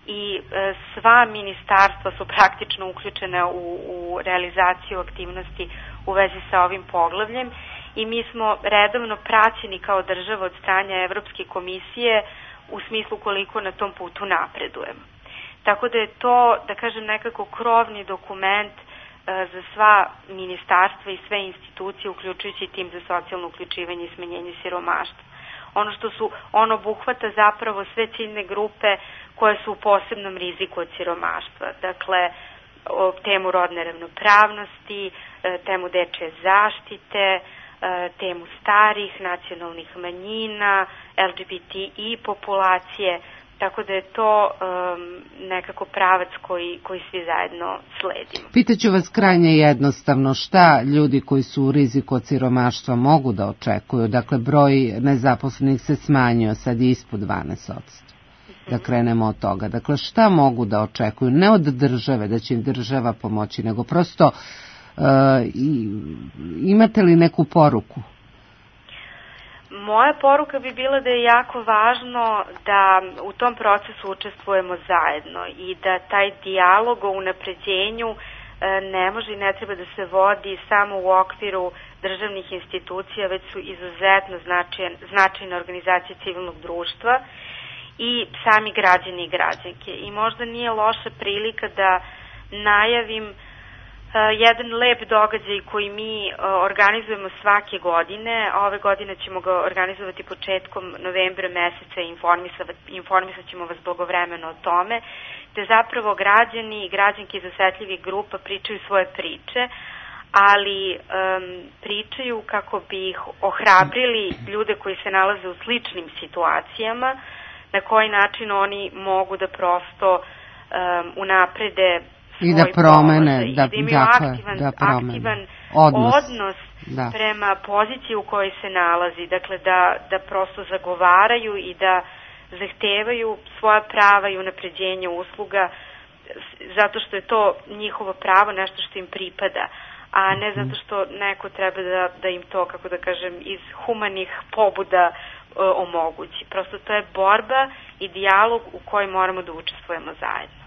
I sva ministarstva su praktično uključene u realizaciju aktivnosti u vezi sa ovim poglavljem i mi smo redovno praćeni kao država od strane Evropske komisije u smislu koliko na tom putu napredujemo. Tako da je to, da kažem, nekako krovni dokument za sva ministarstva i sve institucije, uključujući tim za socijalno uključivanje i smanjenje siromaštva. On obuhvata zapravo sve ciljne grupe koje su u posebnom riziku od siromaštva. Dakle, temu rodne ravnopravnosti, temu dečje zaštite, temu starih, nacionalnih manjina, LGBTI populacije, tako da je to nekako pravac koji svi zajedno sledimo. Pitaću vas krajnje jednostavno, šta ljudi koji su u riziku od siromaštva mogu da očekuju? Dakle, broj nezaposlenih se smanjio, sad je ispod 12%. Da krenemo od toga. Dakle, šta mogu da očekuju? Ne od države, da će im država pomoći, nego prosto imate li neku poruku? Moja poruka bi bila da je jako važno da u tom procesu učestvujemo zajedno i da taj dijalog o unapređenju ne može i ne treba da se vodi samo u okviru državnih institucija, već su izuzetno značajne organizacije civilnog društva i sami građani i građanke. I možda nije loša prilika da najavim jedan lep događaj koji mi organizujemo svake godine. Ove godine ćemo ga organizovati početkom novembra meseca i informisat ćemo vas blagovremeno o tome, gde zapravo građani i građanke iz osetljivih grupa pričaju svoje priče, ali pričaju kako bi ih ohrabrili ljude koji se nalaze u sličnim situacijama, na koji način oni mogu da prosto unaprede i da promene, da imaju aktivan odnos prema poziciji u kojoj se nalazi, dakle da prosto zagovaraju i da zahtevaju svoja prava i unapređenje usluga zato što je to njihovo pravo, nešto što im pripada, a ne zato što neko treba da im to, kako da kažem, iz humanih pobuda omogući. Prosto to je borba i dijalog u kojem moramo da učestvujemo zajedno.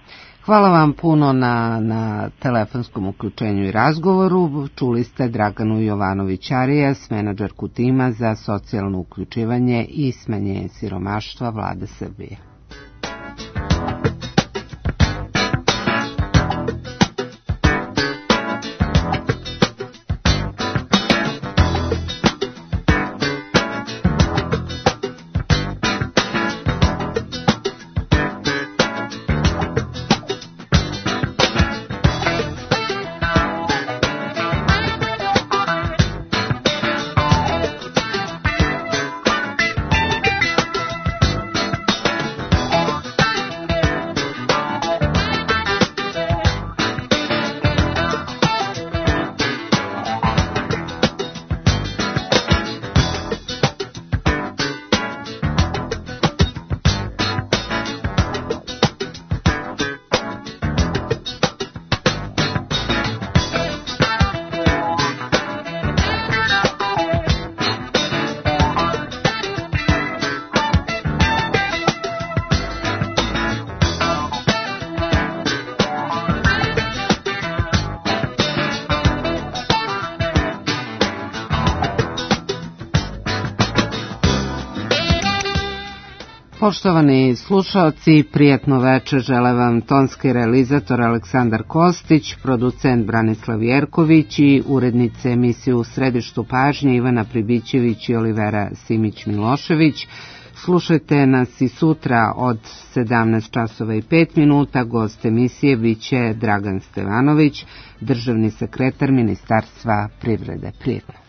Hvala vam puno na telefonskom uključenju i razgovoru. Čuli ste Draganu Jovanović-Arias, menadžerku tima za socijalno uključivanje i smanjenje siromaštva Vlade Srbije. Poštovani slušaoci, prijatno večer žele vam tonski realizator Aleksandar Kostić, producent Branislav Jerković i urednice emisije U središtu pažnje Ivana Pribićević i Olivera Simić-Milošević. Slušajte nas i sutra od 17:05. Gost emisije biće Dragan Stevanović, državni sekretar Ministarstva privrede. Prijetno.